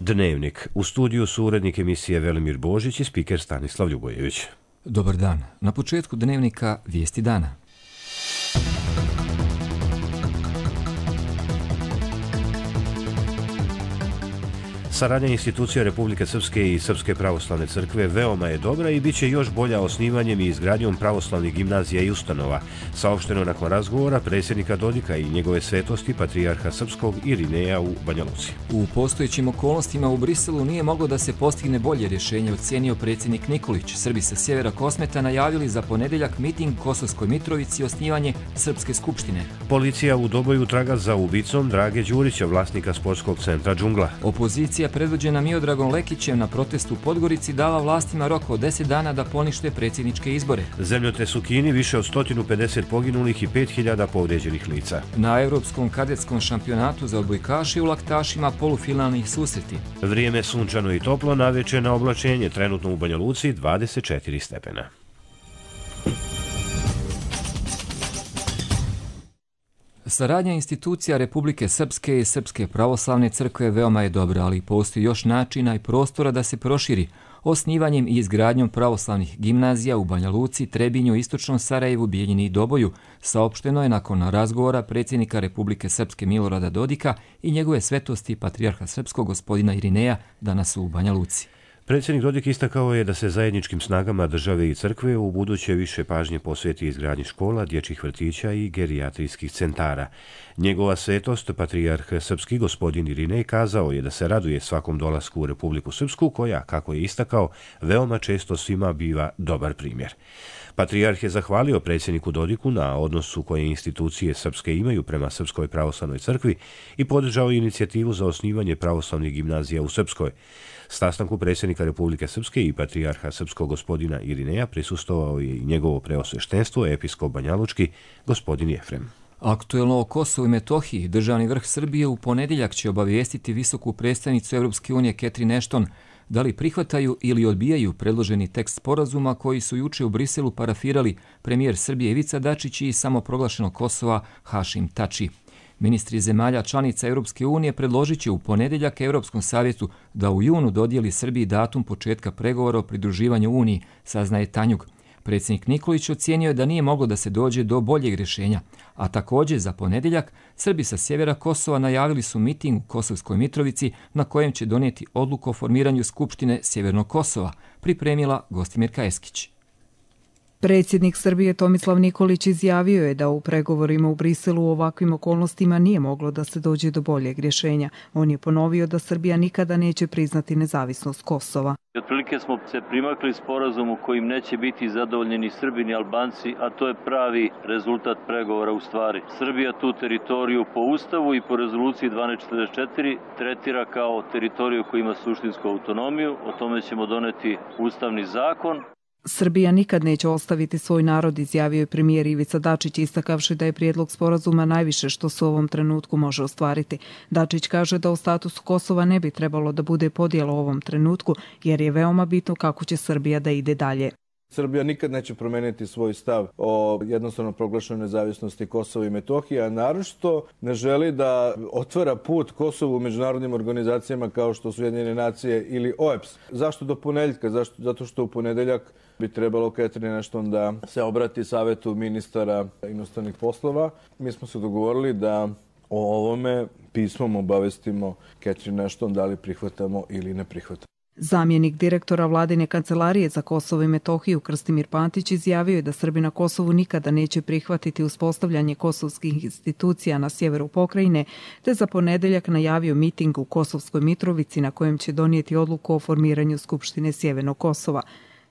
Dnevnik. U studiju su urednik emisije Velimir Božić i spiker Stanislav Ljubojević. Dobar dan. Na početku Dnevnika vijesti dana. Saradnja institucija Republike Srpske i Srpske pravoslavne crkve veoma je dobra i bit će još bolja osnivanjem i izgradnjom pravoslavnih gimnazija i ustanova, saopšteno nakon razgovora predsjednika Dodika i njegove svetosti patrijarha Srpskog Irineja u Banja Luci. U postojećim okolnostima u Briselu nije moglo da se postigne bolje rješenje, ocenio predsjednik Nikolić. Srbi sa sjevera Kosmeta najavili za ponedjeljak miting u Kosovskoj Mitrovici i osnivanje Srpske skupštine. Policija u Doboju traga za ubicom Drage Đurića, vlasnika sportskog centra Džungla. Opozicija predvođena Miodragom Lekićem na protestu u Podgorici dala vlastima rok od 10 dana da ponište predsjedničke izbore. Zemljotres u Kini, više od 150 poginulih i 5000 povrijeđenih lica. Na Evropskom kadetskom šampionatu za odbojkaše u laktašima polufinalnih susreti. Vrijeme sunčano i toplo, navečer na oblačenje, trenutno u Banja Luci 24 stepena. Saradnja institucija Republike Srpske i Srpske pravoslavne crkve veoma je dobra, ali postoji još načina i prostora da se proširi. Osnivanjem i izgradnjom pravoslavnih gimnazija u Banja Luci, Trebinju, Istočnom Sarajevu, Bijeljini i Doboju saopšteno je nakon razgovora predsjednika Republike Srpske Milorada Dodika i njegove svetosti patrijarha Srpskog gospodina Irineja danas u Banja Luci. Predsjednik Dodik istakao je da se zajedničkim snagama države i crkve u buduće više pažnje posveti izgradnji škola, dječjih vrtića i gerijatrijskih centara. Njegova svetost, patrijarh Srpski gospodin Irinej, kazao je da se raduje svakom dolasku u Republiku Srpsku, koja, kako je istakao, veoma često svima biva dobar primjer. Patrijarh je zahvalio predsjedniku Dodiku na odnosu koje institucije srpske imaju prema Srpskoj pravoslavnoj crkvi i podržao inicijativu za osnivanje pravoslavnih gimnazija u Srpskoj. Sastanku predsjednika Republike Srpske i patrijarha Srpskog gospodina Irineja prisustvovao je i njegovo preosveštenstvo, episkop banjalučki, gospodin Jefrem. Aktuelno o Kosovu i Metohiji, državni vrh Srbije u ponedjeljak će obavijestiti visoku predstavnicu Europske unije Catherine Ashton da li prihvataju ili odbijaju predloženi tekst sporazuma koji su juče u Briselu parafirali premijer Srbije Ivica Dačić i samoproglašenog Kosova Hašim Tači. Ministri zemalja članica Europske unije predložit će u ponedjeljak Europskom savjetu da u junu dodijeli Srbiji datum početka pregovora o pridruživanju Uniji, saznaje Tanjug. Predsjednik Nikolić ocijenio je da nije moglo da se dođe do boljeg rješenja, a također za ponedjeljak Srbi sa sjevera Kosova najavili su miting u Kosovskoj Mitrovici na kojem će donijeti odluku o formiranju Skupštine Sjevernog Kosova, pripremila Gostimirka Eskić. Predsjednik Srbije Tomislav Nikolić izjavio je da u pregovorima u Briselu u ovakvim okolnostima nije moglo da se dođe do boljeg rješenja. On je ponovio da Srbija nikada neće priznati nezavisnost Kosova. Otprilike smo se primakli sporazumu kojim neće biti zadovoljeni Srbi ni Albanci, a to je pravi rezultat pregovora u stvari. Srbija tu teritoriju po Ustavu i po rezoluciji 1244 tretira kao teritoriju koja ima suštinsku autonomiju. O tome ćemo doneti ustavni zakon. Srbija nikad neće ostaviti svoj narod, izjavio je premijer Ivica Dačić, istakavši da je prijedlog sporazuma najviše što se u ovom trenutku može ostvariti. Dačić kaže da o statusu Kosova ne bi trebalo da bude podjela u ovom trenutku, jer je veoma bitno kako će Srbija da ide dalje. Srbija nikad neće promeniti svoj stav o jednostavno proglašenoj nezavisnosti Kosova i Metohije, a naročito ne želi da otvara put Kosovu u međunarodnim organizacijama kao što su Ujedinjene nacije ili OEBS. Zašto do ponedjeljka? Zato što u ponedjeljak bi trebalo Catherine Ashton da se obrati Savetu ministara inostranih poslova. Mi smo se dogovorili da o ovome pismom obavestimo Catherine Ashton da li prihvatamo ili ne prihvatamo. Zamjenik direktora vladine kancelarije za Kosovo i Metohiju Krstimir Pantić izjavio je da Srbi na Kosovu nikada neće prihvatiti uspostavljanje kosovskih institucija na sjeveru pokrajine, te za ponedjeljak najavio miting u Kosovskoj Mitrovici na kojem će donijeti odluku o formiranju Skupštine Sjevernog Kosova.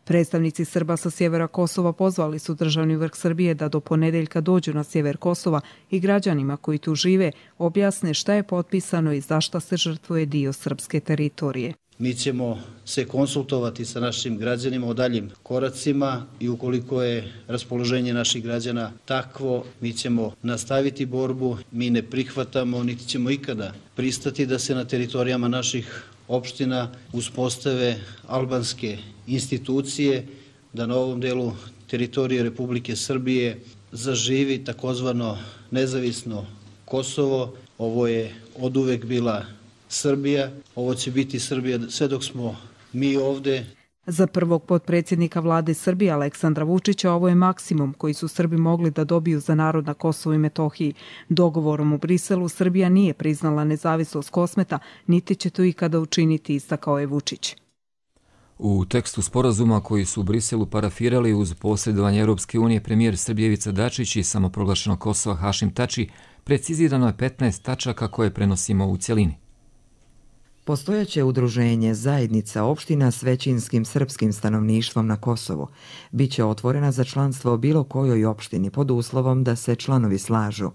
Predstavnici Srba sa sjevera Kosova pozvali su državni vrh Srbije da do ponedjeljka dođu na sjever Kosova i građanima koji tu žive objasne šta je potpisano i zašta se žrtvuje dio srpske teritorije. Mi ćemo se konsultovati sa našim građanima o daljim koracima i ukoliko je raspoloženje naših građana takvo, mi ćemo nastaviti borbu. Mi ne prihvatamo, niti ćemo ikada pristati da se na teritorijama naših opština uspostave albanske institucije, da na ovom delu teritorije Republike Srbije zaživi takozvano nezavisno Kosovo. Ovo je oduvek bila Srbija. Ovo će biti Srbija sve dok smo mi ovde. Za prvog potpredsjednika vlade Srbije Aleksandra Vučića ovo je maksimum koji su Srbi mogli da dobiju za narod na Kosovu i Metohiji. Dogovorom u Briselu Srbija nije priznala nezavisnost Kosmeta, niti će to ikada učiniti, istakao je Vučić. U tekstu sporazuma koji su u Briselu parafirali uz posredovanje Europske unije premijer Srbije Ivica Dačić i samoproglašenog Kosova Hašim Tači, precizirano je 15 tačaka koje prenosimo u cjelini. Postojeće udruženje zajednica opština s većinskim srpskim stanovništvom na Kosovu biće otvorena za članstvo bilo kojoj opštini pod uslovom da se članovi slažu.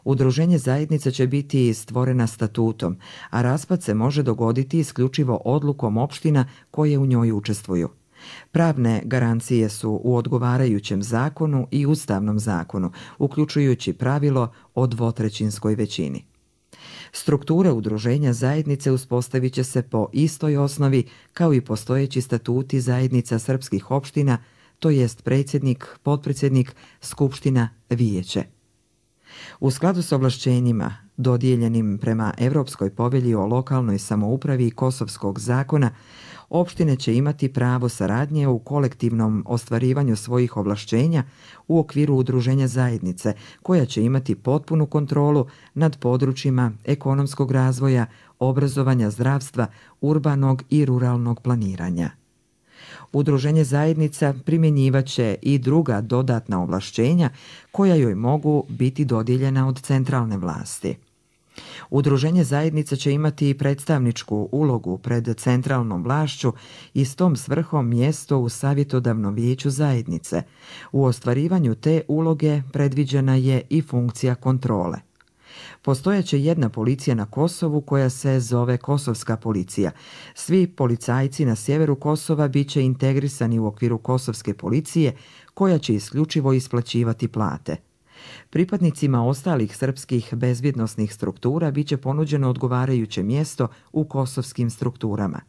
Udruženje zajednica će biti stvorena statutom, a raspad se može dogoditi isključivo odlukom opština koje u njoj učestvuju. Pravne garancije su u odgovarajućem zakonu i ustavnom zakonu, uključujući pravilo o dvotrećinskoj većini. Strukture udruženja zajednice uspostavit će se po istoj osnovi kao i postojeći statuti zajednica srpskih opština, to jest predsjednik, potpredsjednik, skupština, vijeće. U skladu s ovlašćenjima dodijeljenim prema Evropskoj povelji o lokalnoj samoupravi i Kosovskog zakona, opštine će imati pravo saradnje u kolektivnom ostvarivanju svojih ovlašćenja u okviru udruženja zajednice, koja će imati potpunu kontrolu nad područjima ekonomskog razvoja, obrazovanja, zdravstva, urbanog i ruralnog planiranja. Udruženje zajednica primjenjivaće i druga dodatna ovlašćenja koja joj mogu biti dodijeljena od centralne vlasti. Udruženje zajednica će imati i predstavničku ulogu pred centralnom vlašću i s tom svrhom mjesto u savjetodavnom vijeću zajednice. U ostvarivanju te uloge predviđena je i funkcija kontrole. Postojaće jedna policija na Kosovu koja se zove Kosovska policija. Svi policajci na sjeveru Kosova bit će integrisani u okviru Kosovske policije koja će isključivo isplaćivati plate. Pripadnicima ostalih srpskih bezbjednosnih struktura bit će ponuđeno odgovarajuće mjesto u kosovskim strukturama.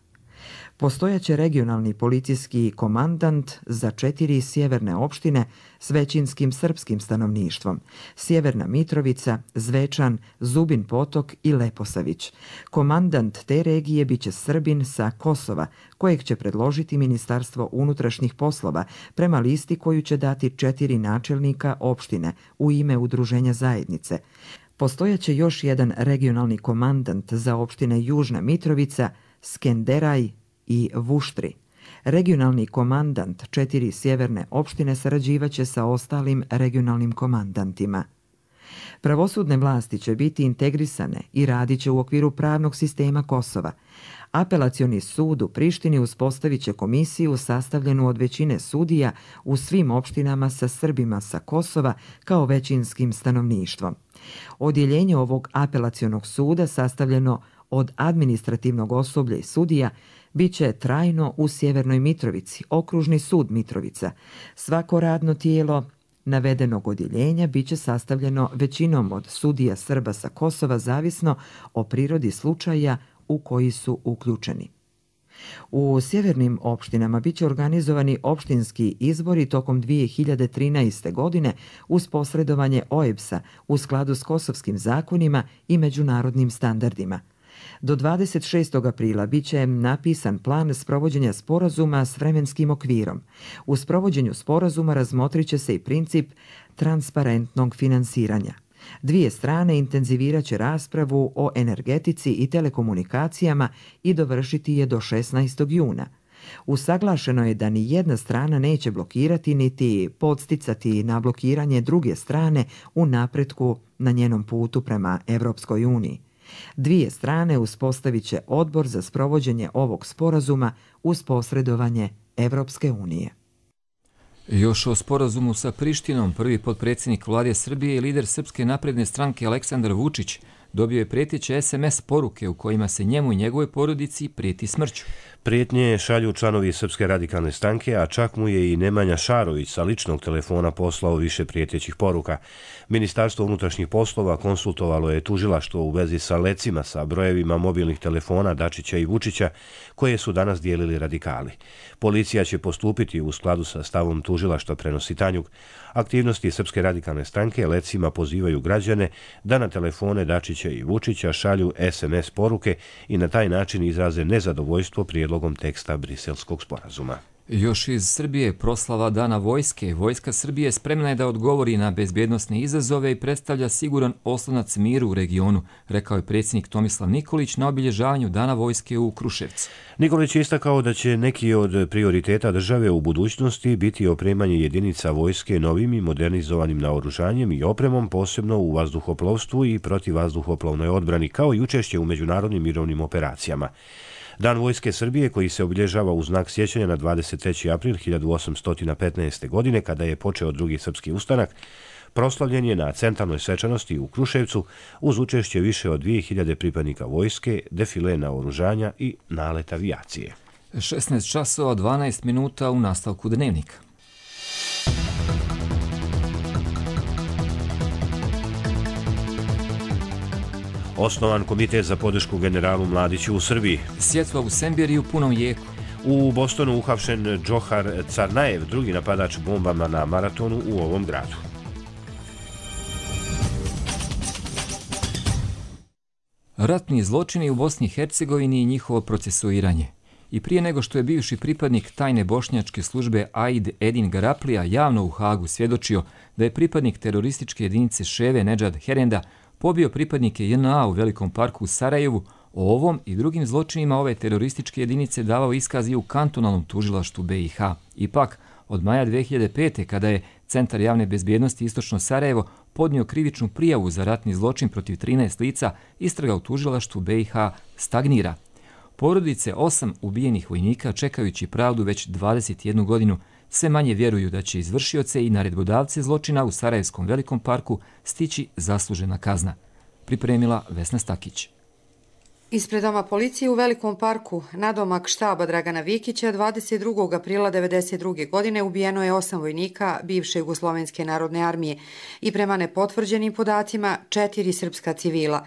Postojaće regionalni policijski komandant za 4 sjeverne opštine s većinskim srpskim stanovništvom: Sjeverna Mitrovica, Zvečan, Zubin Potok i Leposavić. Komandant te regije biće Srbin sa Kosova, kojeg će predložiti Ministarstvo unutrašnjih poslova prema listi koju će dati 4 načelnika opštine u ime udruženja zajednice. Postojaće još jedan regionalni komandant za opštine Južna Mitrovica, Skenderaj i Vuštri. Regionalni komandant 4 sjeverne opštine sarađivaće sa ostalim regionalnim komandantima. Pravosudne vlasti će biti integrisane i radit će u okviru pravnog sistema Kosova. Apelacioni sud u Prištini uspostavit će komisiju sastavljenu od većine sudija u svim opštinama sa Srbima sa Kosova kao većinskim stanovništvom. Odjeljenje ovog apelacionog suda sastavljeno od administrativnog osoblja i sudija bit će trajno u Sjevernoj Mitrovici, okružni sud Mitrovica. Svako radno tijelo navedenog odjeljenja bit će sastavljeno većinom od sudija Srba sa Kosova zavisno o prirodi slučaja u koji su uključeni. U sjevernim opštinama bit će organizovani opštinski izbori tokom 2013. godine uz posredovanje OEBS-a u skladu s kosovskim zakonima i međunarodnim standardima. Do 26. aprila bit će napisan plan sprovođenja sporazuma s vremenskim okvirom. U sprovođenju sporazuma razmotrit će se i princip transparentnog finansiranja. Dvije strane intenzivirat će raspravu o energetici i telekomunikacijama i dovršiti je do 16. juna. Usaglašeno je da ni jedna strana neće blokirati niti podsticati na blokiranje druge strane u napretku na njenom putu prema Evropskoj uniji. Dvije strane uspostavit će odbor za sprovođenje ovog sporazuma uz posredovanje Evropske unije. Još o sporazumu sa Prištinom, prvi potpredsjednik vlade Srbije i lider Srpske napredne stranke Aleksandar Vučić dobio je prijeteće SMS poruke u kojima se njemu i njegovoj porodici prijeti smrću. Prijetnje šalju članovi Srpske radikalne stranke, a čak mu je i Nemanja Šarović sa ličnog telefona poslao više prijetećih poruka. Ministarstvo unutrašnjih poslova konsultovalo je tužilaštvo u vezi sa lecima sa brojevima mobilnih telefona Dačića i Vučića koje su danas dijelili radikali. Policija će postupiti u skladu sa stavom tužilaštva, prenosi Tanjug. Aktivnosti Srpske radikalne stranke lecima pozivaju građane da na telefone Dačića Plenkovića i Vučića šalju SMS poruke i na taj način izraze nezadovoljstvo prijedlogom teksta Briselskog sporazuma. Još iz Srbije proslava Dana vojske. Vojska Srbije spremna je da odgovori na bezbjednosne izazove i predstavlja siguran oslonac miru u regionu, rekao je predsjednik Tomislav Nikolić na obilježavanju Dana vojske u Kruševcu. Nikolić je istakao da će neki od prioriteta države u budućnosti biti opremanje jedinica vojske novim i modernizovanim naoružanjem i opremom, posebno u vazduhoplovstvu i protivvazduhoplovnoj odbrani, kao i učešće u međunarodnim mirovnim operacijama. Dan vojske Srbije, koji se obilježava u znak sjećanja na 23. april 1815. godine, kada je počeo drugi srpski ustanak, proslavljen je na centralnoj svečanosti u Kruševcu uz učešće više od 2000 pripadnika vojske, defile naoružanja i nalet avijacije. 16 časova 12 minuta u nastavku dnevnika. Osnovan komitet za podršku generalu Mladiću u Srbiji. Sjetva u Sembiri u punom jeku. U Bostonu uhapšen Džohar Carnajev, drugi napadač bombama na maratonu u ovom gradu. Ratni zločini u Bosni i Hercegovini i njihovo procesuiranje. I prije nego što je bivši pripadnik tajne bošnjačke službe AID Edin Garaplija javno u Hagu svjedočio da je pripadnik terorističke jedinice Ševe Nedžad Herenda pobio pripadnike JNA u Velikom parku u Sarajevu, o ovom i drugim zločinima ove terorističke jedinice davao iskaz i u kantonalnom tužilaštvu BiH. Ipak, od maja 2005. kada je Centar javne bezbjednosti Istočno Sarajevo podnio krivičnu prijavu za ratni zločin protiv 13 lica, istraga u tužilaštvu BiH stagnira. Porodice 8 ubijenih vojnika, čekajući pravdu već 21 godinu, sve manje vjeruju da će izvršioce i naredbodavce zločina u Sarajevskom Velikom parku stići zaslužena kazna. Pripremila Vesna Stakić. Ispred doma policije u Velikom parku, nadomak štaba Dragana Vikića, 22. aprila 1992. godine ubijeno je 8 vojnika bivše Jugoslovenske narodne armije i prema nepotvrđenim podacima 4 srpska civila.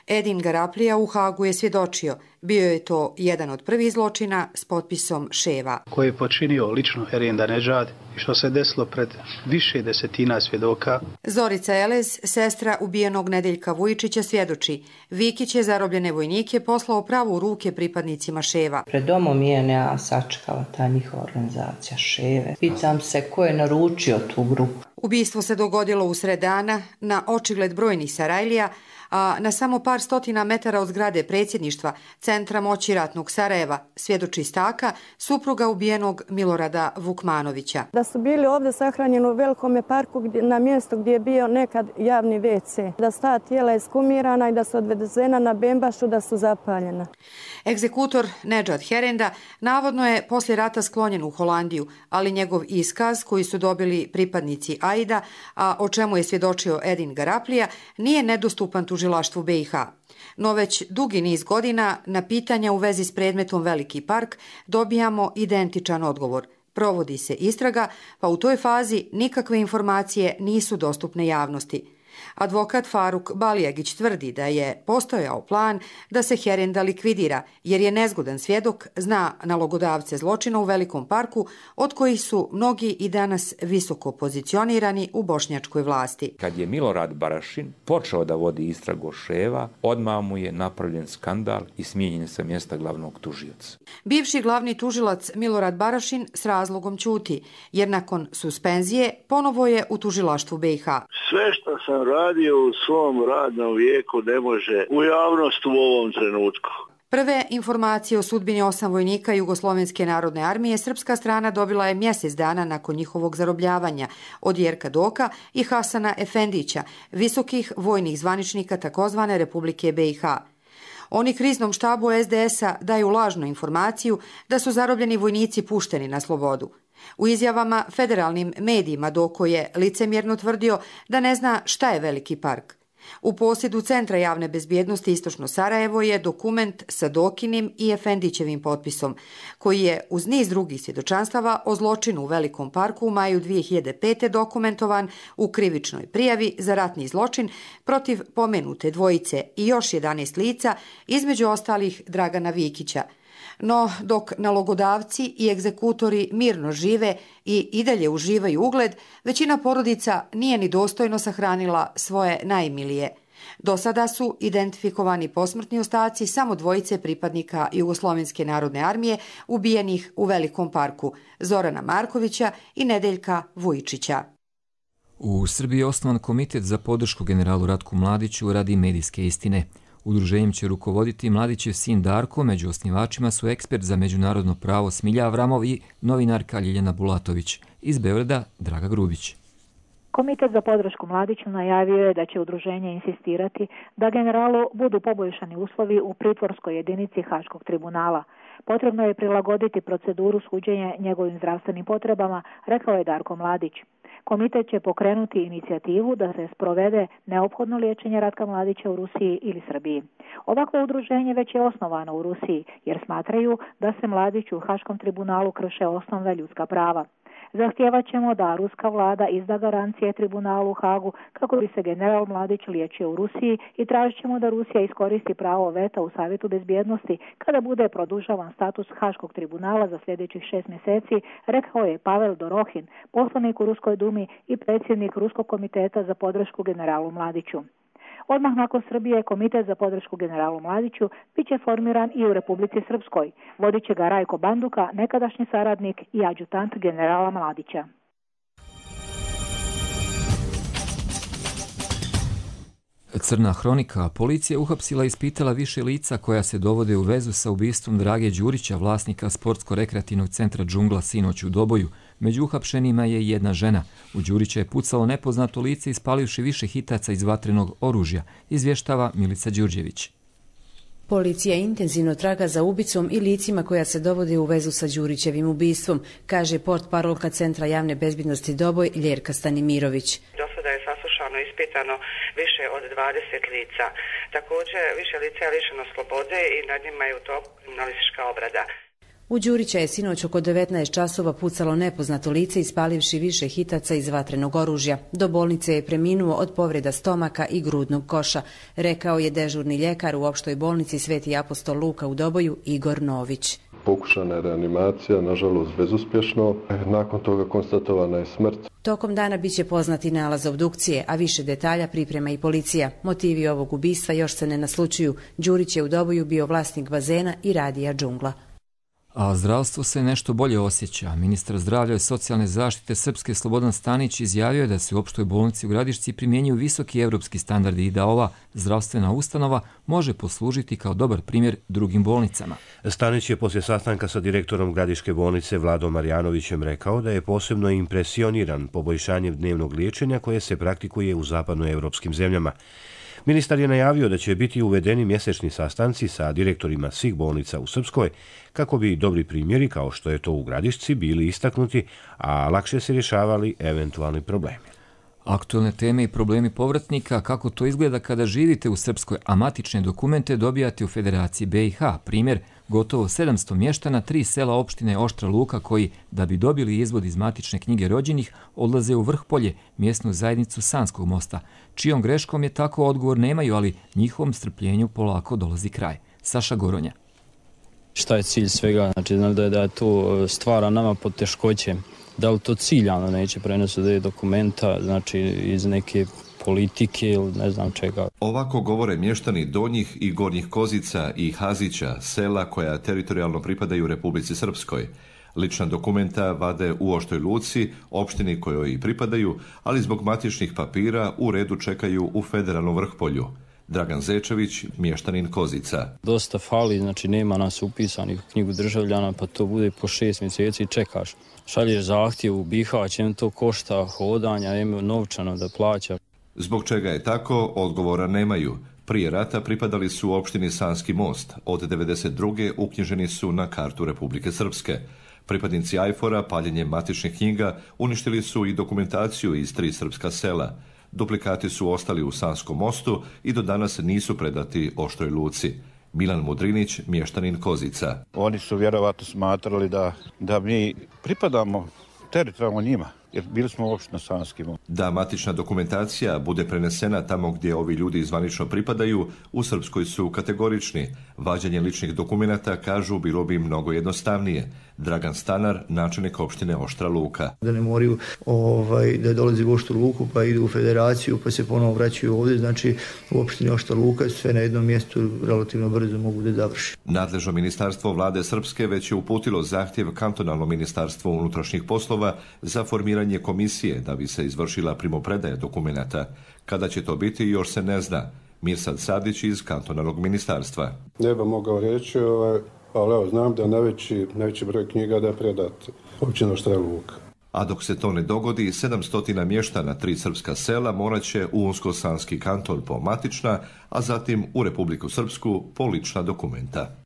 Edin Garaplija u Hagu je svjedočio. Bio je to jedan od prvih zločina s potpisom Ševa. Koji je počinio lično Herenda Nedžad i što se desilo pred više desetina svjedoka. Zorica Elez, sestra ubijenog Nedeljka Vujičića, svjedoči. Vikić je zarobljene vojnike poslao pravo u ruke pripadnicima Ševa. Pred domom je sačekala ta njihova organizacija Ševe. Pitam se ko je naručio tu grupu. Ubistvo se dogodilo usred dana na očigled brojnih Sarajlija, a na samo par stotina metara od zgrade predsjedništva Centra moći ratnog Sarajeva, svjedoči Staka, supruga ubijenog Milorada Vukmanovića. Da su bili ovdje sahranjeni u Velikom parku na mjestu gdje je bio nekad javni WC, da su ta tijela iskumirana i da su odvezena na Bembašu, da su zapaljena. Egzekutor Nedžad Herenda navodno je poslije rata sklonjen u Holandiju, ali njegov iskaz koji su dobili pripadnici AID-a, a o čemu je svjedočio Edin Garaplija, nije nedostupan tužilaštvu BiH. No već dugi niz godina na pitanja u vezi s predmetom Veliki park dobijamo identičan odgovor. Provodi se istraga, pa u toj fazi nikakve informacije nisu dostupne javnosti. Advokat Faruk Balijagić tvrdi da je postojao plan da se Herenda likvidira, jer je nezgodan svjedok, zna nalogodavce zločina u Velikom parku, od kojih su mnogi i danas visoko pozicionirani u bošnjačkoj vlasti. Kad je Milorad Barašin počeo da vodi istragu Ševa, odmah mu je napravljen skandal i smijenjen sa mjesta glavnog tužioca. Bivši glavni tužilac Milorad Barašin s razlogom ćuti, jer nakon suspenzije ponovo je u tužilaštvu BiH. Sve što sam radio u svom radnom vijeku ne može u javnost u ovom trenutku. Prve informacije o sudbini 8 vojnika Jugoslovenske narodne armije srpska strana dobila je mjesec dana nakon njihovog zarobljavanja od Jerka Doka i Hasana Efendića, visokih vojnih zvaničnika takozvane Republike BiH. Oni kriznom štabu SDS-a daju lažnu informaciju da su zarobljeni vojnici pušteni na slobodu. U izjavama federalnim medijima Doko je licemjerno tvrdio da ne zna šta je Veliki park. U posjedu Centra javne bezbjednosti Istočno Sarajevo je dokument sa Dokinim i Efendićevim potpisom, koji je uz niz drugih svjedočanstava o zločinu u Velikom parku u maju 2005. dokumentovan u krivičnoj prijavi za ratni zločin protiv pomenute dvojice i još 11 lica, između ostalih Dragana Vikića. No, dok nalogodavci i egzekutori mirno žive i dalje uživaju ugled, većina porodica nije ni dostojno sahranila svoje najmilije. Do sada su identifikovani posmrtni ostaci samo dvojice pripadnika Jugoslovenske narodne armije ubijenih u Velikom parku, Zorana Markovića i Nedeljka Vujičića. U Srbiji je osnovan komitet za podršku generalu Ratku Mladiću radi medijske istine. Udruženjem će rukovoditi Mladićev sin Darko, među osnivačima su ekspert za međunarodno pravo Smilja Avramov i novinarka Ljiljana Bulatović. Iz Beograda Draga Grubić. Komitet za podršku Mladiću najavio je da će udruženje insistirati da generalu budu poboljšani uslovi u pritvorskoj jedinici Haškog tribunala. Potrebno je prilagoditi proceduru suđenja njegovim zdravstvenim potrebama, rekao je Darko Mladić. Komitet će pokrenuti inicijativu da se sprovede neophodno liječenje Ratka Mladića u Rusiji ili Srbiji. Ovakvo udruženje već je osnovano u Rusiji jer smatraju da se Mladiću u Haškom tribunalu krše osnovna ljudska prava. Zahtijevat ćemo da ruska vlada izda garancije tribunalu u Hagu kako bi se general Mladić liječio u Rusiji i tražit ćemo da Rusija iskoristi pravo veta u Savjetu bezbjednosti kada bude produžavan status Haškog tribunala za sljedećih 6 mjeseci, rekao je Pavel Dorohin, poslanik u Ruskoj dumi i predsjednik Ruskog komiteta za podršku generalu Mladiću. Odmah nakon Srbije komitet za podršku generalu Mladiću bit će formiran i u Republici Srpskoj. Vodit će ga Rajko Banduka, nekadašnji saradnik i adjutant generala Mladića. Crna hronika. Policija uhapsila i ispitala više lica koja se dovode u vezu sa ubistvom Drage Đurića, vlasnika sportsko-rekreativnog centra Džungla, sinoć u Doboju. Među uhapšenima je jedna žena. U Đurića je pucalo nepoznato lice ispalivši više hitaca iz vatrenog oružja, izvještava Milica Đurđević. Policija intenzivno traga za ubicom i licima koja se dovode u vezu sa Đurićevim ubistvom, kaže portparolka Centra javne bezbjednosti Doboj Ljerka Stanimirović. Do sada je saslušano i ispitano više od 20 lica. Također više lica je lišeno slobode i nad njima je u toku kriminalistička obrada. U Đurića je sinoć oko 19 časova pucalo nepoznato lice ispalivši više hitaca iz vatrenog oružja. Do bolnice je preminuo od povreda stomaka i grudnog koša, rekao je dežurni ljekar u opštoj bolnici Sveti apostol Luka u Doboju Igor Nović. Pokušana je reanimacija, nažalost bezuspješno. Nakon toga konstatovana je smrt. Tokom dana biće poznati nalaz obdukcije, a više detalja priprema i policija. Motivi ovog ubistva još se ne naslučuju. Đurić je u Doboju bio vlasnik bazena i radija Džungla. A zdravstvo se nešto bolje osjeća. Ministar zdravlja i socijalne zaštite Srpske Slobodan Stanić izjavio je da se u opštoj bolnici u Gradišci primjenjuju visoki evropski standardi i da ova zdravstvena ustanova može poslužiti kao dobar primjer drugim bolnicama. Stanić je poslije sastanka sa direktorom Gradiške bolnice Vladom Marjanovićem rekao da je posebno impresioniran poboljšanjem dnevnog liječenja koje se praktikuje u zapadnoevropskim zemljama. Ministar je najavio da će biti uvedeni mjesečni sastanci sa direktorima svih bolnica u Srpskoj kako bi dobri primjeri, kao što je to u Gradišci, bili istaknuti, a lakše se rješavali eventualni problemi. Aktualne teme i problemi povratnika, kako to izgleda kada živite u Srpskoj, a matične dokumente dobijate u Federaciji BiH. Primjer, gotovo 700 mještana 3 sela opštine Oštra Luka koji, da bi dobili izvod iz matične knjige rođenih, odlaze u Vrhpolje, mjesnu zajednicu Sanskog mosta. Čijom greškom je tako, odgovor nemaju, ali njihovom strpljenju polako dolazi kraj. Saša Goronja. Šta je cilj svega? Znači da to stvara nama poteškoće. Da li to ciljano neće prenositi dokumenta, znači iz neke politike ili ne znam čega. Ovako govore mještani Donjih i Gornjih Kozica i Hazića, sela koja teritorijalno pripadaju Republici Srpskoj. Lična dokumenta vade u Oštoj Luci, opštini kojoj i pripadaju, ali zbog matičnih papira u redu čekaju u federalnom Vrhpolju. Dragan Zečević, mještanin Kozica. Dosta fali, znači nema nas upisanih u knjigu državljana, pa to bude po 6 mjeseci i čekaš. Šalješ zahtjev u Bihać, to košta hodanja, novčano da plaća. Zbog čega je tako, odgovora nemaju. Prije rata pripadali su opštini Sanski most. Od 1992. uknjiženi su na kartu Republike Srpske. Pripadnici Ajfora paljenjem matičnih knjiga uništili su i dokumentaciju iz 3 srpska sela. Duplikati su ostali u Sanskom mostu i do danas nisu predati Oštroj Luci. Milan Mudrinić, mještanin Kozica. Oni su vjerovatno smatrali da mi pripadamo teritorijalno njima. jer bili smo opština Sanski most. Da matična dokumentacija bude prenesena tamo gdje ovi ljudi zvanično pripadaju, u Srpskoj su kategorični. Vađenje ličnih dokumenata, kažu, bilo bi mnogo jednostavnije. Dragan Stanar, načelnik opštine Oštra Luka. Da ne moraju da dolazi u Oštru Luku pa idu u federaciju pa se ponovo vraćaju ovdje, znači u opštini Oštra Luka sve na jednom mjestu relativno brzo mogu da završi. Nadležno ministarstvo vlade Srpske već je uputilo zahtjev kantonalnom ministarstvu unutrašnjih poslova za formiranje komisije da bi se izvršila primopredaja dokumenata. Kada će to biti još se ne zna. Mirsad Sadić iz kantonalnog ministarstva. Ne bih mogao reći, ali evo, znam da najveći broj knjiga da predat općina Oštra Luka. A dok se to ne dogodi, 700 mještana 3 srpska sela morat će u Unsko-Sanski kanton po matična, a zatim u Republiku Srpsku po lična dokumenta.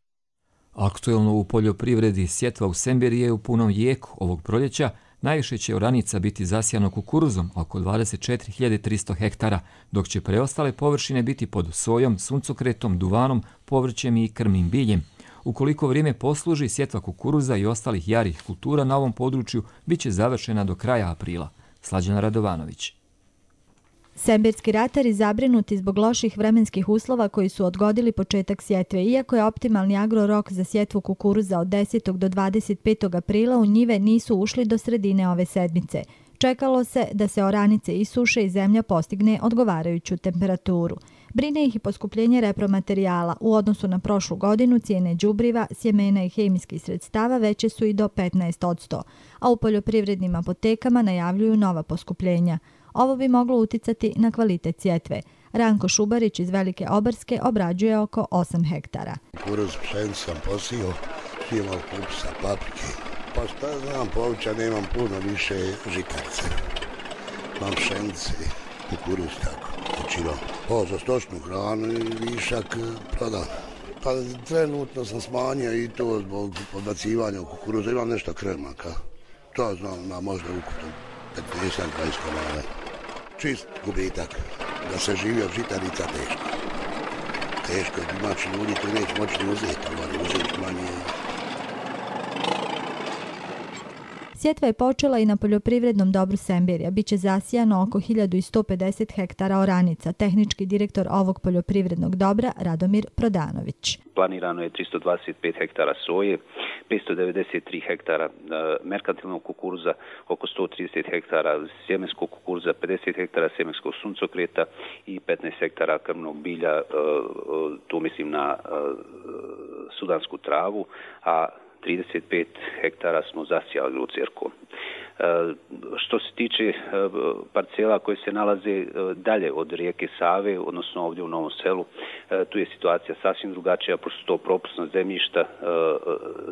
Aktuelno u poljoprivredi sjetva u Semberiji je u punom jeku ovog proljeća. Najviše će oranica biti zasijano kukuruzom, oko 24.300 hektara, dok će preostale površine biti pod sojom, suncokretom, duvanom, povrćem i krmnim biljem. Ukoliko vrijeme posluži, sjetva kukuruza i ostalih jarih kultura na ovom području bit će završena do kraja aprila. Slađana Radovanović. Semberski ratari zabrinuti zbog loših vremenskih uslova koji su odgodili početak sjetve. Iako je optimalni agrorok za sjetvu kukuruza od 10. do 25. aprila, u njive nisu ušli do sredine ove sedmice. Čekalo se da se oranice isuše i zemlja postigne odgovarajuću temperaturu. Brine ih i poskupljenje repromaterijala. U odnosu na prošlu godinu cijene đubriva, sjemena i hemijskih sredstava veće su i do 15%, a u poljoprivrednim apotekama najavljuju nova poskupljenja. Ovo bi moglo uticati na kvalitet sjetve. Ranko Šubarić iz Velike Obarske obrađuje oko 8 hektara. Kukuruz, pšenicu sam posio, imao kupsa, paprike. Pa šta znam, povrća nemam puno, više žitarice. Mam pšenice, kukuruz tako, većinom. Za stočnu hranu i višak prodam. Pa trenutno sam smanjio i to zbog odbacivanja u kukuruza. Imam nešto kremaka. To znam, na možda ukupno 15-20 komada. Čist gubitak. Da se živi od žitarica teško. Teško, domaći ljudi to neće moći uzeti, ali uzeti manje. Sjetva je počela i na poljoprivrednom dobru Semberija. Biće zasijano oko 1150 hektara oranica. Tehnički direktor ovog poljoprivrednog dobra Radomir Prodanović. Planirano je 325 hektara soje, 593 hektara merkantilnog kukuruza, oko 130 hektara sjemenskog kukuruza, 50 hektara sjemenskog suncokreta i 15 hektara krmnog bilja, tu mislim na sudansku travu, a 35 hektara smo zasijali lucerkom. Što se tiče parcela koje se nalaze dalje od rijeke Save, odnosno ovdje u Novom Selu, tu je situacija sasvim drugačija, pošto su to propusna zemljišta,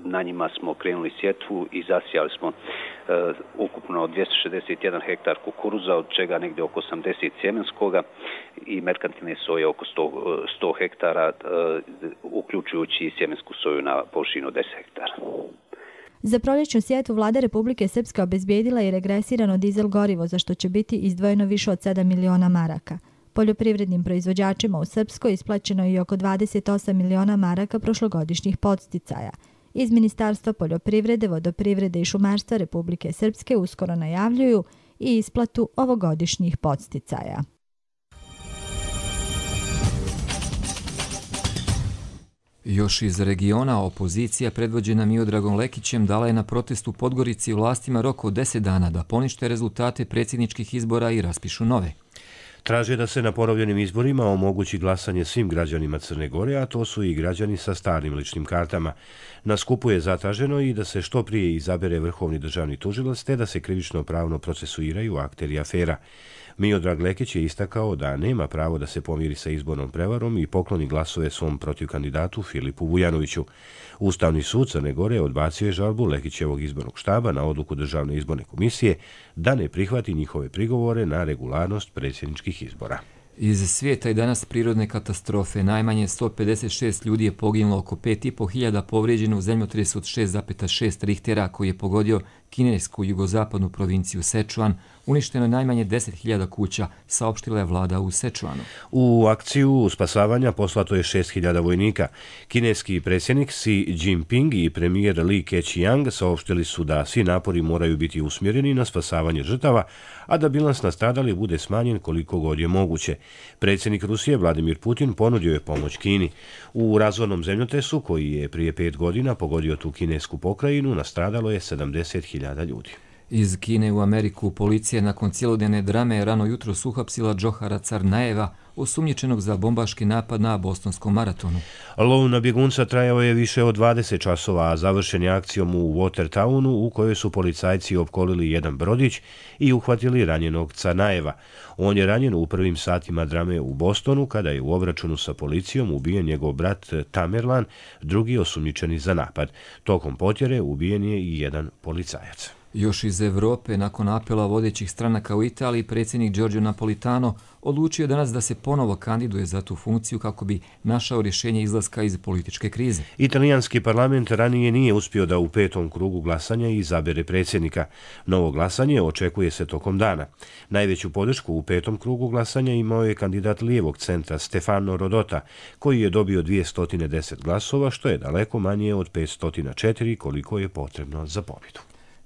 na njima smo krenuli sjetvu i zasijali smo ukupno 261 hektar kukuruza, od čega negdje oko 80 sjemenskoga i merkantilne soje oko 100 hektara, uključujući i sjemensku soju na površinu 10 hektara. Za proljećnu sjetvu vlada Republike Srpske obezbijedila i regresirano dizel gorivo, za što će biti izdvojeno više od 7 miliona maraka. Poljoprivrednim proizvođačima u Srpskoj isplaćeno je i oko 28 miliona maraka prošlogodišnjih podsticaja. Iz Ministarstva poljoprivrede, vodoprivrede i šumarstva Republike Srpske uskoro najavljuju i isplatu ovogodišnjih podsticaja. Još iz regiona opozicija predvođena Miodragom Lekićem dala je na protestu u Podgorici vlastima rok od 10 dana da ponište rezultate predsjedničkih izbora i raspišu nove. Traže da se na ponovljenim izborima omogući glasanje svim građanima Crne Gore, a to su i građani sa starim ličnim kartama. Na skupu je zatraženo i da se što prije izabere vrhovni državni tužilac, te da se krivično pravno procesuiraju akteri afera. Miodrag Lekić je istakao da nema pravo da se pomiri sa izbornom prevarom i pokloni glasove svom protivkandidatu Filipu Vujanoviću. Ustavni sud Crne Gore odbacio je žalbu Lekićevog izbornog štaba na odluku Državne izborne komisije da ne prihvati njihove prigovore na regularnost predsjedničkih izbora. Iz svijeta i danas prirodne katastrofe. Najmanje 156 ljudi je poginulo, oko 5.500 povrijeđeno u zemljotresu od 6,6 Richtera koji je pogodio kinesku jugozapadnu provinciju Sečuan, uništeno je najmanje 10.000 kuća, saopštila je vlada u Sečuanu. U akciju spasavanja poslato je 6.000 vojnika. Kineski predsjednik Xi Jinping i premijer Li Keqiang saopštili su da svi napori moraju biti usmjereni na spasavanje žrtava, a da bilans nastradalih bude smanjen koliko god je moguće. Predsjednik Rusije Vladimir Putin ponudio je pomoć Kini. U razornom zemljotresu, koji je prije 5 godina pogodio tu kinesku pokrajinu, nastradalo je 70.000 ljudi. Iz Kine u Ameriku policija nakon cjelodnevne drame rano jutro uhapsila Džohara Carnajeva, osumnjičenog za bombaški napad na bostonskom maratonu. Lov na bjegunca trajao je više od 20 časova, a završen je akcijom u Watertownu, u kojoj su policajci opkolili jedan brodić i uhvatili ranjenog Carnajeva. On je ranjen u prvim satima drame u Bostonu, kada je u obračunu sa policijom ubijen njegov brat Tamerlan, drugi osumnjičeni za napad. Tokom potjere ubijen je i jedan policajac. Još iz Evrope, nakon apela vodećih stranaka u Italiji, predsjednik Giorgio Napolitano odlučio danas da se ponovo kandiduje za tu funkciju kako bi našao rješenje izlaska iz političke krize. Italijanski parlament ranije nije uspio da u 5. krugu glasanja izabere predsjednika. Novo glasanje očekuje se tokom dana. Najveću podršku u 5. krugu glasanja imao je kandidat lijevog centra Stefano Rodota, koji je dobio 210 glasova, što je daleko manje od 504 koliko je potrebno za pobjedu.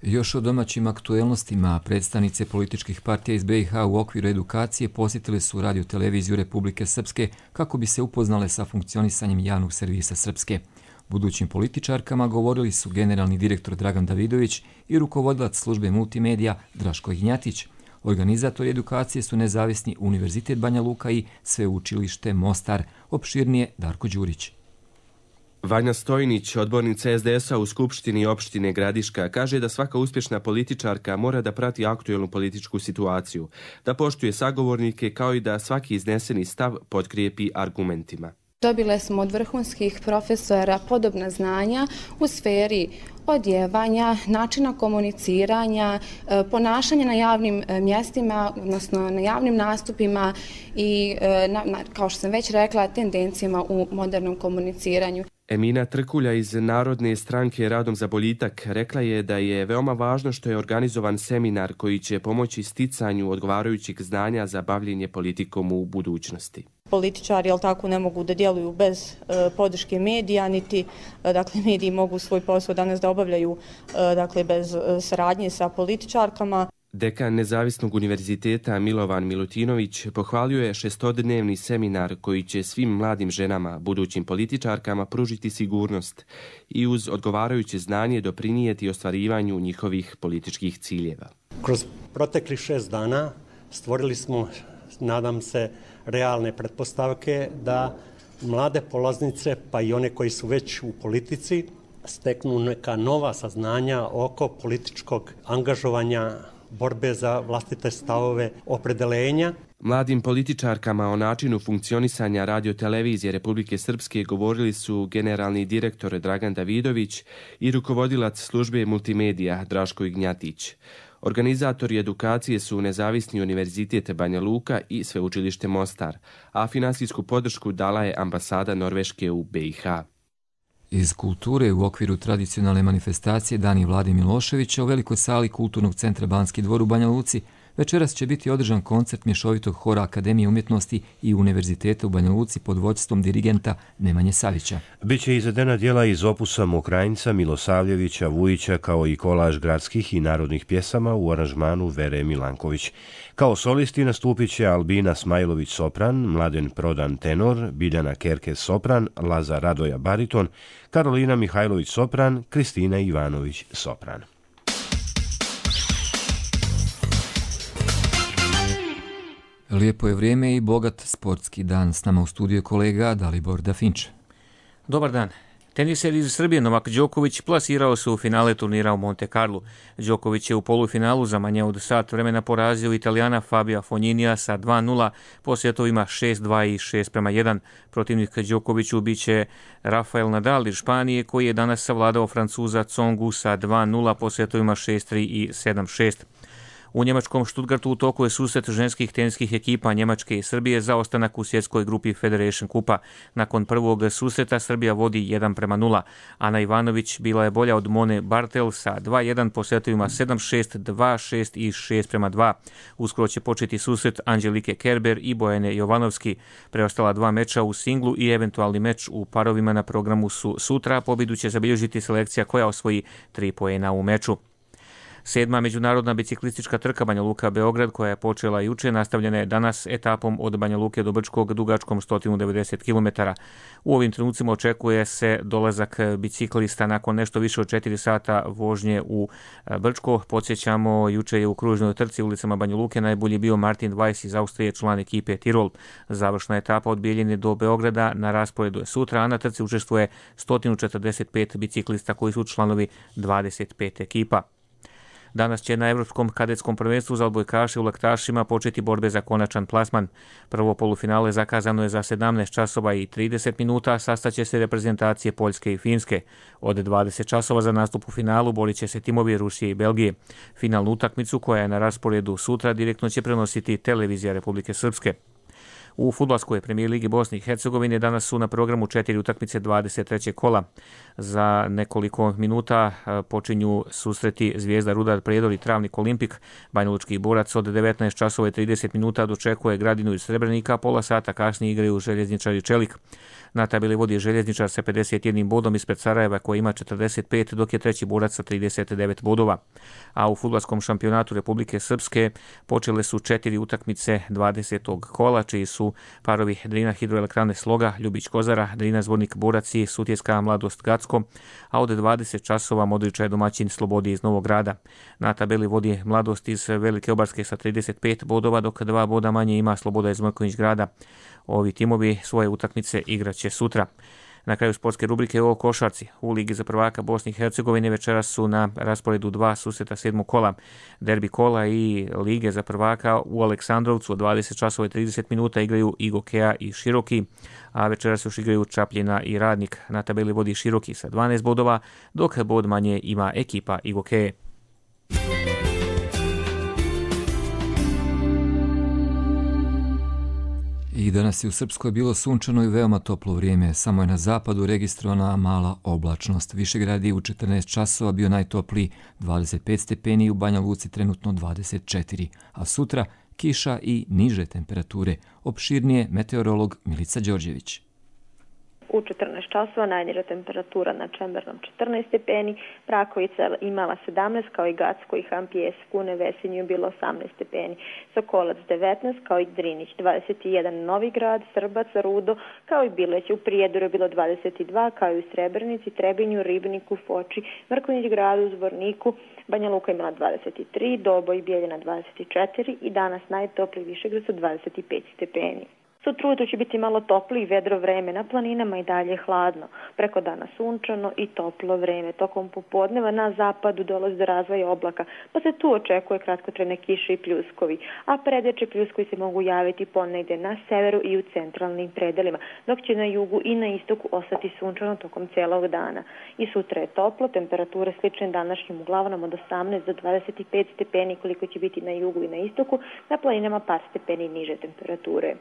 Još o domaćim aktuelnostima, predstavnice političkih partija iz BiH u okviru edukacije posjetile su Radio-televiziju Republike Srpske kako bi se upoznale sa funkcionisanjem javnog servisa Srpske. Budućim političarkama govorili su generalni direktor Dragan Davidović i rukovodilac službe multimedija Draško Ignjatić. Organizatori edukacije su Nezavisni univerzitet Banja Luka i Sveučilište Mostar. Opširnije Darko Đurić. Vanja Stojnić, odbornica SDS-a u Skupštini opštine Gradiška, kaže da svaka uspješna političarka mora da prati aktuelnu političku situaciju, da poštuje sagovornike kao i da svaki izneseni stav potkrijepi argumentima. Dobile smo od vrhunskih profesora podobna znanja u sferi odjevanja, načina komuniciranja, ponašanja na javnim mjestima, odnosno na javnim nastupima i, kao što sam već rekla, tendencijama u modernom komuniciranju. Emina Trkulja iz Narodne stranke Radom za boljitak rekla je da je veoma važno što je organizovan seminar koji će pomoći sticanju odgovarajućih znanja za bavljenje politikom u budućnosti. Političari, jel tako, ne mogu da djeluju bez podrške medija, niti mediji mogu svoj posao danas da obavljaju bez saradnje sa političarkama. Dekan Nezavisnog univerziteta Milovan Milutinović pohvalio je 6-dnevni seminar koji će svim mladim ženama, budućim političarkama, pružiti sigurnost i uz odgovarajuće znanje doprinijeti ostvarivanju njihovih političkih ciljeva. Kroz proteklih 6 dana stvorili smo, nadam se, realne pretpostavke da mlade polaznice, pa i one koji su već u politici, steknu neka nova saznanja oko političkog angažovanja, borbe za vlastite stavove, opredelenja. Mladim političarkama o načinu funkcionisanja Radio-televizije Republike Srpske govorili su generalni direktor Dragan Davidović i rukovodilac službe multimedija Draško Ignjatić. Organizatori edukacije su Nezavisni univerzitet Banja Luka i Sveučilište Mostar, a finansijsku podršku dala je ambasada Norveške u BiH. Iz kulture u okviru tradicionalne manifestacije Dani Vlade Miloševića u velikoj sali Kulturnog centra Banski dvor u Banja Luci večeras će biti održan koncert mješovitog hora Akademije umjetnosti i Univerziteta u Banja Luci pod vođstvom dirigenta Nemanje Savića. Biće izvedena djela iz opusa Mokrajinca, Milosavljevića, Vujića, kao i kolaž gradskih i narodnih pjesama u aranžmanu Vere Milanković. Kao solisti nastupit će Albina Smajlović sopran, Mladen Prodan tenor, Biljana Kerkez sopran, Lazar Radoja bariton, Karolina Mihajlović sopran, Kristina Ivanović sopran. Lijepo je vrijeme i bogat sportski dan. S nama u studiju je kolega Dalibor Dafinč. Dobar dan. Teniser iz Srbije Novak Đoković plasirao se u finale turnira u Monte Carlo. Đoković je u polufinalu za manje od sat vremena porazio Italijana Fabia Fogninija sa 2:0 po setovima 6:2 i 6:1. Protivnik Đokoviću biće Rafael Nadal iz Španije, koji je danas savladao Francuza Tsongu sa 2:0 po setovima 6:3 i 7:6. U njemačkom Stuttgartu u toku je susret ženskih teniskih ekipa Njemačke i Srbije za ostanak u svjetskoj grupi Federation Kupa. Nakon prvog susreta Srbija vodi 1:0. Ana Ivanović bila je bolja od Mone Bartel sa 2:1 po setovima 7-6, 2-6 i 6:2. Uskoro će početi susret Anđelike Kerber i Bojane Jovanovski. Preostala 2 meča u singlu i eventualni meč u parovima na programu su sutra. Pobjedu će zabilježiti selekcija koja osvoji 3 poena u meču. 7. međunarodna biciklistička trka Banja Luka-Beograd, koja je počela juče, nastavljena je danas etapom od Banja Luke do Brčkog dugačkom 190 km. U ovim trenucima očekuje se dolazak biciklista nakon nešto više od 4 sata vožnje u Brčko. Podsjećamo, juče je u kružnoj trci ulicama Banja Luke najbolji bio Martin Weiss iz Austrije, član ekipe Tirol. Završna etapa od Bijeljine do Beograda na rasporedu je sutra, a na trci učestvuje 145 biciklista koji su članovi 25 ekipa. Danas će na Evropskom kadetskom prvenstvu za odbojkaše u laktašima početi borbe za konačan plasman. Prvo polufinale zakazano je za 17 časova i 30 minuta, sastaće se reprezentacije Poljske i Finske. Od 20 časova za nastup u finalu borit će se timovi Rusije i Belgije. Finalnu utakmicu, koja je na rasporedu sutra, direktno će prenositi televizija Republike Srpske. U fudbalskoj premijer ligi Bosne i Hercegovine danas su na programu 4 utakmice 23. kola. Za nekoliko minuta počinju susreti Zvijezda Rudar Prijedor i Travnik Olimpik. Banjalučki borac od 19 časova i 30 minuta dočekuje Gradinu iz Srebrenika, pola sata kasnije igraju Željezničar i Čelik. Na tabeli vodi Željezničar sa 51 bodom ispred Sarajeva koji ima 45, dok je treći borac sa 39 bodova. A u fudbalskom šampionatu Republike Srpske počele su 4 utakmice 20. kola, čiji su parovi Drina Hidroelektrane Sloga, Ljubić Kozara, Drina Zvornik Borac i Sutjeska Mladost Gacko, a od 20 časova Modriča je domaćin Slobodi iz Novog Grada. Na tabeli vodi Mladost iz Velike Obarske sa 35 bodova, dok 2 boda manje ima Sloboda iz Mrkonjić Grada. Ovi timovi svoje utakmice igraće sutra. Na kraju sportske rubrike o košarci. U Ligi za prvaka Bosne i Hercegovine večeras su na rasporedu 2 susreta 7. kola. Derbi kola i Lige za prvaka u Aleksandrovcu od 20 časova i 30 minuta igraju i Gokeja i Široki, a večeras još igraju Čapljina i Radnik. Na tabeli vodi Široki sa 12 bodova, dok bod manje ima ekipa i Gokeje. I danas je u Srpskoj bilo sunčano i veoma toplo vrijeme, samo je na zapadu registrovana mala oblačnost. Višegrad je u 14 časova bio najtopliji 25 stepeni, u Banja Luci trenutno 24, a sutra kiša i niže temperature. Opširnije meteorolog Milica Đorđević. U 14 časova najniža temperatura na Čembernom 14 stepeni, Prakovica imala 17, kao i Gacko i Hampijes, Kune, Vesinju je bilo 18 stepeni, Sokolac 19, kao i Drinić 21, Novi Grad, Srbac, Rudo, kao i Bileć, u Prijedoru je bilo 22, kao i u Srebrenici, Trebinju, Ribniku, Foči, Mrkonjić Gradu, Zvorniku, Banja Luka imala 23, Doboj i Bijeljina 24 i danas najtopliji Višegrad su 25 stepeni. Sutra ujutro će biti malo toplo i vedro vreme, na planinama i dalje hladno. Preko dana sunčano i toplo vreme. Tokom popodneva na zapadu dolazi do razvoja oblaka, pa se tu očekuje kratkotrajne kiše i pljuskovi. A predeče pljuskovi se mogu javiti ponegde na severu i u centralnim predelima, dok će na jugu i na istoku ostati sunčano tokom celog dana. I sutra je toplo, temperature slične današnjim, uglavnom od 18 do 25 stepeni koliko će biti na jugu i na istoku, na planinama par stepeni niže temperature.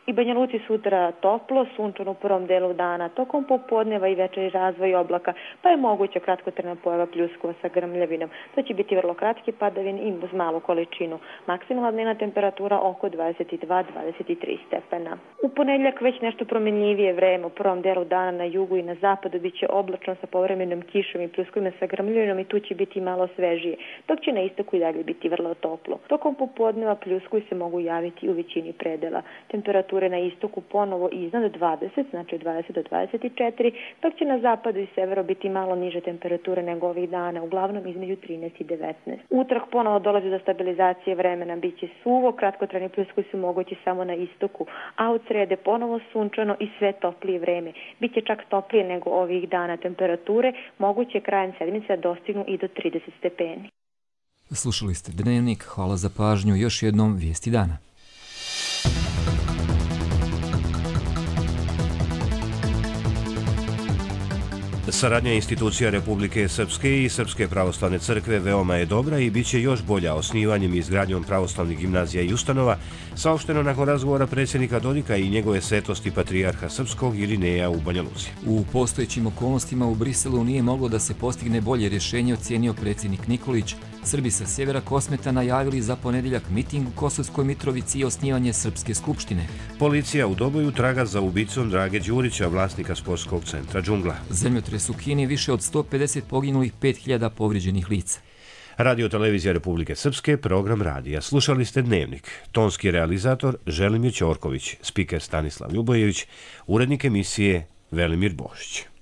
I Banja Luci sutra toplo, sunčano u prvom delu dana, tokom popodneva i večeri razvoj oblaka, pa je moguća kratkotrajna pojava pljuskova sa grmljavinom. To će biti vrlo kratki padavin i uz malu količinu. Maksimalna dnevna temperatura oko 22-23 stepena. U ponedjeljak već nešto promjenljivije vreme, u prvom delu dana na jugu i na zapadu bit će oblačno sa povremenom kišom i pljuskovima sa grmljavinom i tu će biti malo svežije, dok će na istoku i dalje biti vrlo toplo. Tokom popodneva pljuskovi se mogu javiti u većini predela. Temperatura na istoku ponovo iznad 20, znači 20 do 24, dok će na zapadu i severu biti malo niže temperature nego ovih dana, uglavnom između 13 i 19. Utorak ponovo dolazi do stabilizacije vremena, bit će suvo, kratkotrajni pljuskovi su mogući samo na istoku, a od srede ponovo sunčano i sve toplije vreme. Biće čak toplije nego ovih dana, temperature moguće krajem sedmice dostignu i do 30 stepeni. Slušali ste Dnevnik, hvala za pažnju, još jednom vijesti dana. Saradnja institucija Republike Srpske i Srpske pravoslavne crkve veoma je dobra i bit će još bolja osnivanjem i izgradnjom pravoslavnih gimnazija i ustanova, saopšteno nakon razgovora predsjednika Dodika i njegove svetosti patrijarha Srpskog Irineja u Banja Luci. U postojećim okolnostima u Briselu nije moglo da se postigne bolje rješenje, ocijenio predsjednik Nikolić. Srbi sa sjevera Kosmeta najavili za ponedjeljak miting u Kosovskoj Mitrovici i osnivanje Srpske skupštine. Policija u Doboju traga za ubicom Drage Đurića, vlasnika sportskog centra Džungla. Zemljotres u Kini, više od 150 poginulih, 5000 povrijeđenih lica. Radio Televizija Republike Srpske, program radija. Slušali ste Dnevnik. Tonski realizator Želimir Ćorković, spiker Stanislav Ljubojević, urednik emisije Velimir Bošić.